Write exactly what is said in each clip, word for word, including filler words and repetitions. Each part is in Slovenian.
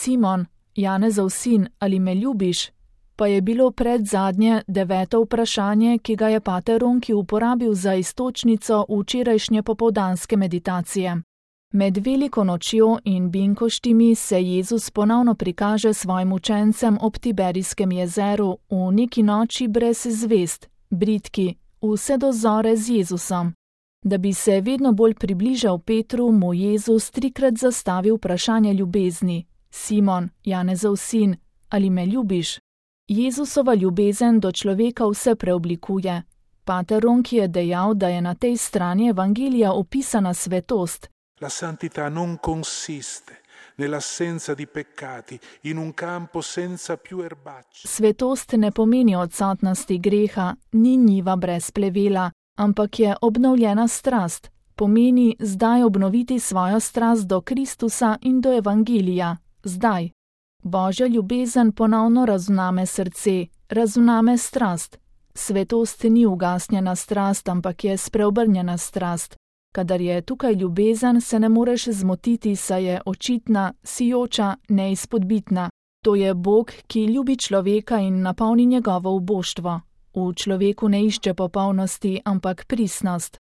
Simon, Janezov sin, ali me ljubiš? Pa je bilo predzadnje deveto vprašanje, ki ga je pater Ronki uporabil za iztočnico včerajšnje popoldanske meditacije. Med veliko nočjo in binkoštimi se Jezus ponovno prikaže svojim učencem ob Tiberijskem jezeru v neki noči brez zvezd, bridki, vse do zore z Jezusom. Da bi se vedno bolj približal Petru, mu Jezus trikrat zastavi vprašanje ljubezni. Simon, Janezov sin, ali me ljubiš? Jezusova ljubezen do človeka vse preoblikuje. Pater Ronki je dejal, da je na tej strani evangelija opisana svetost. La santità non consiste nell'assenza di peccati in un campo senza più erbacce. Svetost ne pomeni odsotnosti greha, ni njiva brez plevela, ampak je obnovljena strast. Pomeni zdaj obnoviti svojo strast do Kristusa in do evangelija. Zdaj. Božja ljubezen ponovno razvname srce, razvname strast. Svetost ni ugasnjena strast, ampak je spreobrnjena strast. Kadar je tukaj ljubezen, se ne moreš zmotiti, saj je očitna, sijoča, neizpodbitna. To je Bog, ki ljubi človeka in napolni njegovo uboštvo. V človeku ne išče popolnosti, ampak pristnost.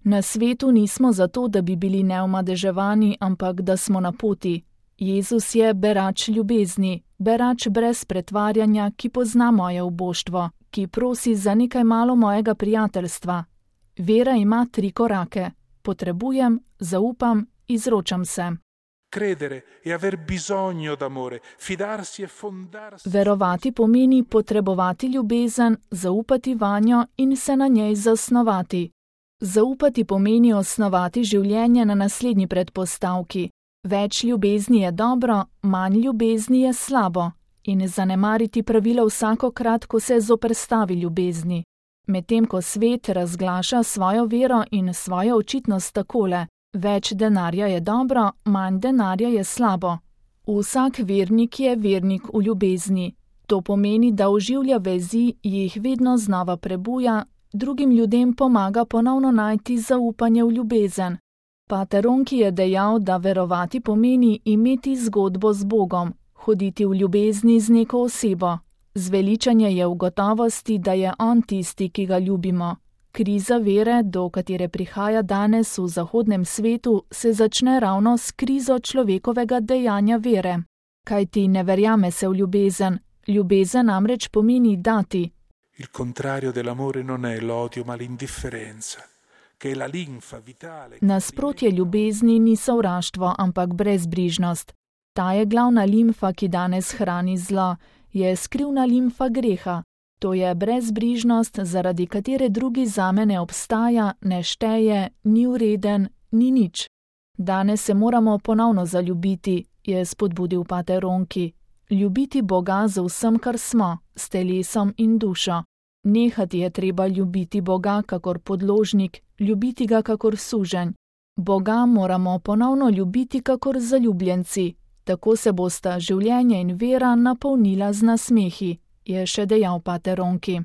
Na svetu nismo zato, da bi bili neomadeževani, ampak da smo na poti. Jezus je berač ljubezni, berač brez pretvarjanja, ki pozna moje uboštvo, ki prosi za nekaj malo mojega prijateljstva. Vera ima tri korake. Potrebujem, zaupam, izročam se. Credere e aver bisogno d'amore, fidarsi e fondarsi. Verovati pomeni potrebovati ljubezen, zaupati vanjo in se na njej zasnovati. Zaupati pomeni osnovati življenje na naslednji predpostavki. Več ljubezni je dobro, manj ljubezni je slabo. In zanemariti pravilo vsakokrat, ko se zoperstavi ljubezni. Medtem ko svet razglaša svojo vero in svojo očitnost takole: več denarja je dobro, manj denarja je slabo. Vsak vernik je vernik v ljubezni. To pomeni, da oživlja vezi, jih vedno znova prebuja, drugim ljudem pomaga ponovno najti zaupanje v ljubezen. Pater Ronki je dejal, da verovati pomeni imeti zgodbo z Bogom, hoditi v ljubezni z neko osebo. Zveličanje je v gotovosti, da je on tisti, ki ga ljubimo. Kriza vere, do katere prihaja danes v zahodnem svetu, se začne ravno s krizo človekovega dejanja vere. Kajti ne verjame se v ljubezen. Ljubezen namreč pomeni dati. Il contrario dell'amore non è l'odio, ma l'indifferenza, che è la linfa vitale. Nasprotje ljubezni ni sovraštvo, ampak brezbrižnost. Ta je glavna limfa, ki danes hrani zlo. Je skrivna limfa greha. To je brezbrižnost, zaradi katere drugi zame ne obstaja, ne šteje, ni vreden, ni nič. Danes se moramo ponovno zaljubiti, je spodbudil pater Ronki. Ljubiti Boga z vsem, kar smo, s telesom in dušo. Nehati je treba ljubiti Boga kakor podložnik, ljubiti ga kakor suženj. Boga moramo ponovno ljubiti kakor zaljubljenci. Tako se bosta življenje in vera napolnila z nasmehi, je še dejal pater Ronki.